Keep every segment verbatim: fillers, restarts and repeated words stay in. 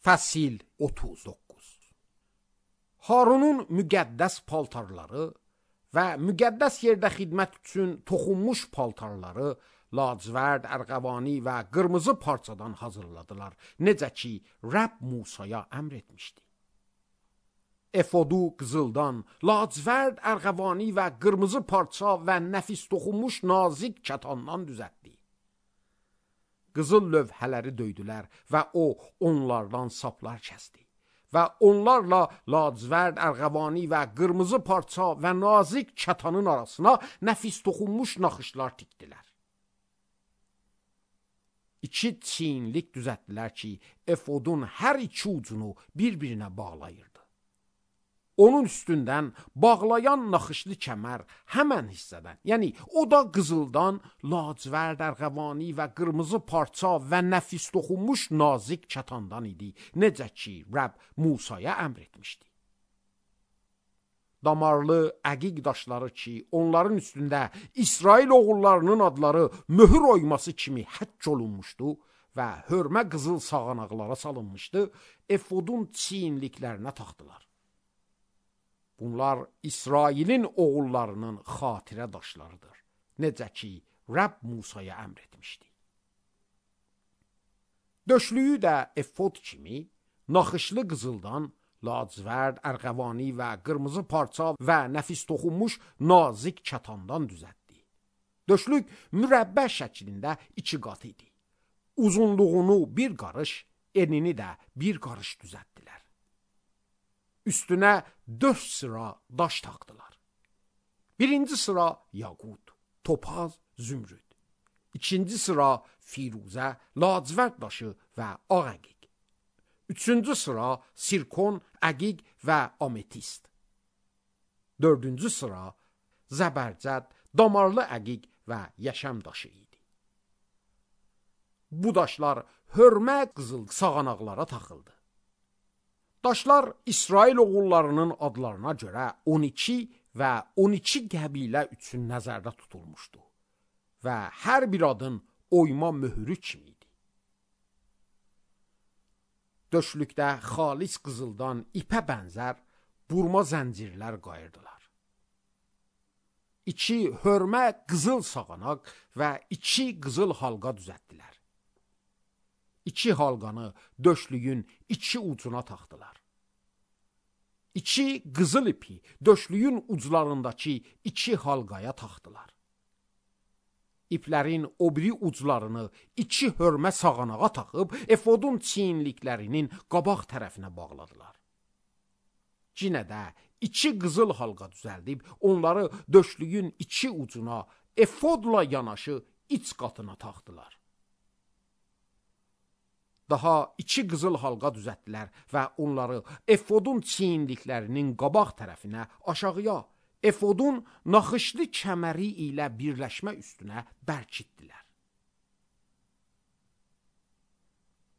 Fəsil otuz doqquz. Harunun müqəddəs paltarları və müqəddəs yerdə xidmət üçün toxunmuş paltarları lacivərd, ərğəvani və qırmızı parçadan hazırladılar, necə ki Rəbb Musaya əmr etmişdi. Efodu qızıldan, lacivərd, ərğəvani və qırmızı parça və nəfis toxunmuş nazik kətandan düzəltdi. Qızıl lövhələri döydülər və o onlardan saplar kəsdi və onlarla lacivərd, ərğəvani və qırmızı parça və nazik kətanın arasına nəfis toxunmuş naxışlar tikdilər. İki çiyinlik düzəltdilər ki, efodun hər iki ucunu bir-birinə bağlayırdı. Onun üstündən bağlayan naxışlı kəmər həmən hissədən, yəni o da qızıldan, lacivərd, ərğəvani və qırmızı parça və nəfis toxunmuş nazik kətandan idi, necə ki Rəbb Musaya əmr etmişdi. Damarlı əqiq daşları ki, onların üstündə İsrail oğullarının adları möhür oyması kimi həkk olunmuşdu və hörmə qızıl sağanaqlara salınmışdı, efodun çiyinliklərinə taxdılar. Bunlar İsrailin oğullarının xatirə daşlarıdır, necə ki Rəbb Musaya əmr etmişdi. Döşlüyü də efod kimi naxışlı qızıldan, lacivərd, ərğəvani və qırmızı parça və nəfis toxunmuş nazik kətandan düzəltdi. Döşlük mürəbbə şəklində iki qat idi. Uzunluğunu bir qarış, enini də bir qarış düzəltdilər. Üstünə dörd sıra daş taxdılar. Birinci sıra yaqut, topaz, zümrüd. İkinci sıra firuzə, lacivərd daşı və ağ əqiq. Üçüncü sıra sirkon, əqiq və ametist. Dördüncü sıra zəbərcəd, damarlı əqiq və yaşam daşı idi. Bu daşlar hörmə qızıl sağanaqlara taxıldı. Daşlar İsrail oğullarının adlarına görə on iki və on iki qəbilə üçün nəzərdə tutulmuşdu və hər bir adın oyma möhürü kimi idi. Döşlükdə xalis qızıldan ipə bənzər burma zəncirlər qayırdılar. İki hörmə qızıl sağanaq və iki qızıl halqa düzəltdilər. İki halqanı döşlüyün iki ucuna taxdılar. İki qızıl ipi döşlüyün uclarındakı iki halqaya taxdılar. İplərin o biri uclarını iki hörmə sağanağa taxıb, efodun çiyinliklərinin qabaq tərəfinə bağladılar. Cinə də iki qızıl halqa düzəldib, onları döşlüyün iki ucuna, efodla yanaşı iç qatına taxdılar. Daha iki qızıl halqa düzəltdilər və onları efodun çiyinliklərinin qabaq tərəfinə aşağıya, efodun naxışlı kəməri ilə birləşmə üstünə bərkitdilər.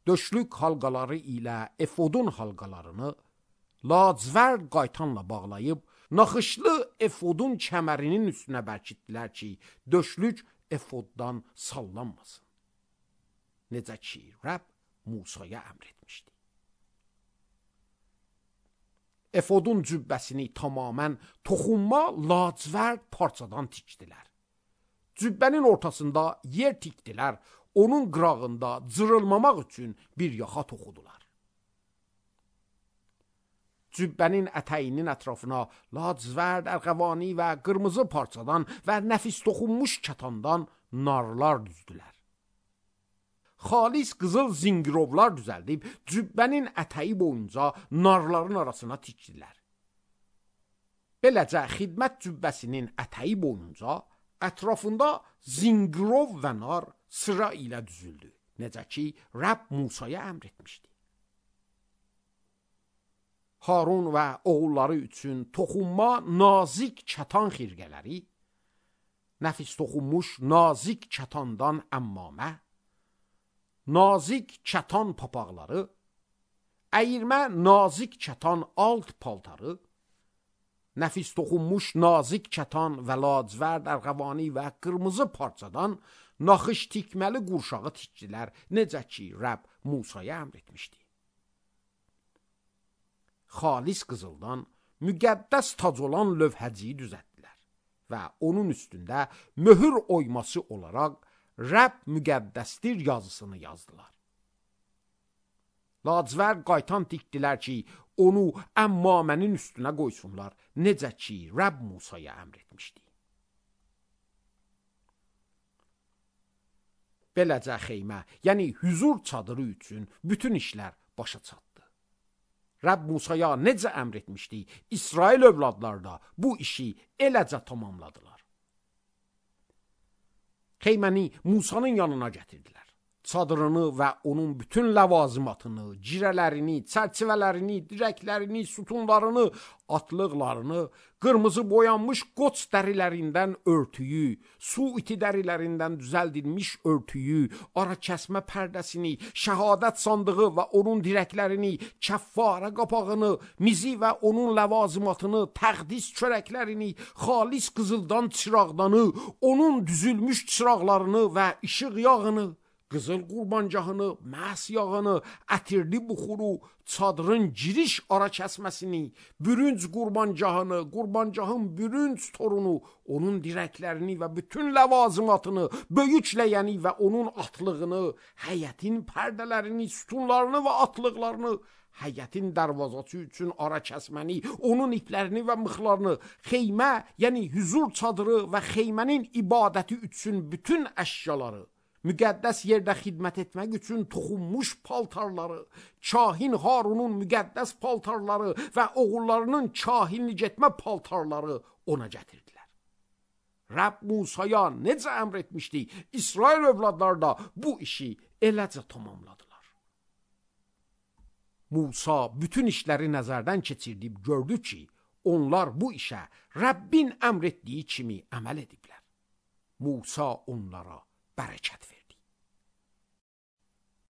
Döşlük halqaları ilə efodun halqalarını lacivərd qaytanla bağlayıb, naxışlı efodun kəmərinin üstünə bərkitdilər ki, döşlük efoddan sallanmasın. Necə ki Rəbb Musaya əmr etmişdi. Efodun cübbəsini tamamən toxunma lacivərd parçadan tikdilər. Cübbənin ortasında yer tikdilər, onun qırağında cırılmamaq üçün bir yaxa toxudular. Cübbənin ətəyinin ətrafına lacivərd, ərğəvani və qırmızı parçadan və nəfis toxunmuş kətandan narlar düzdülər. Xalis qızıl zingirovlar düzəldib, cübbənin ətəyi boyunca narların arasına tikdilər. Beləcə, xidmət cübbəsinin ətəyi boyunca ətrafında zingirov və nar sıra ilə düzüldü, necə ki Rəbb Musaya əmr etmişdi. Harun və oğulları üçün toxunma nazik kətan xirqələri, nəfis toxunmuş nazik kətandan əmmamə, nazik kətan papaqları, əyirmə nazik kətan alt paltarı, nəfis toxunmuş nazik kətan və lacivərd, ərğəvani və qırmızı parçadan naxış tikməli qurşağı tikdilər, necə ki Rəbb Musaya əmr etmişdi. xalis qızıldan müqəddəs tac olan lövhəciyi düzəltdilər və onun üstündə möhür oyması olaraq Rəbb müqəddəsdir yazısını yazdılar. Lacivərd qaytan tikdilər ki, onu əmmamənin üstünə qoysunlar, necə ki, Rəbb Musaya əmr etmişdi. Beləcə xeymə, yəni hüzur çadırı üçün bütün işlər başa çatdı. Rəbb Musaya necə əmr etmişdi, İsrail övladları da bu işi eləcə tamamladılar. Xeyməni Musanın yanına gətirdilər. Çadırını və onun bütün ləvazimatını, cirələrini, çərçivələrini, dirəklərini, sütunlarını, atlıqlarını, qırmızı boyanmış qoç dərilərindən örtüyü, su iti dərilərindən düzəldilmiş örtüyü, ara kəsmə pərdəsini, şəhadət sandığı və onun dirəklərini, kəffarə qapağını, mizi və onun ləvazimatını, təqdis çörəklərini, xalis qızıldan çıraqdanı, onun düzülmüş çıraqlarını və işıq yağını, qızıl qurbancahını, məhs yağını, ətirli buxuru, çadırın giriş ara kəsməsini, bürünc qurbancahını, qurbancahın bürünc torunu, onun dirəklərini və bütün ləvazimatını, böyük ləyəni və onun atlığını, həyətin pərdələrini, sütunlarını və atlıqlarını, həyətin dərvazası üçün ara kəsməni, onun iplərini və mıxlarını, xeymə, yəni hüzur çadırı və xeymənin ibadəti üçün bütün əşyaları, müqəddəs yerdə xidmət etmək üçün toxunmuş paltarları, kahin Harunun müqəddəs paltarları və oğullarının kahinlik etmə paltarları ona gətirdilər. Rəbb Musaya necə əmr etmişdi, İsrail övladları da bu işi eləcə tamamladılar. Musa bütün işləri nəzərdən keçirdib gördü ki, onlar bu işə Rəbbin əmr etdiyi kimi əməl ediblər. Musa onlara bərəkət verdi.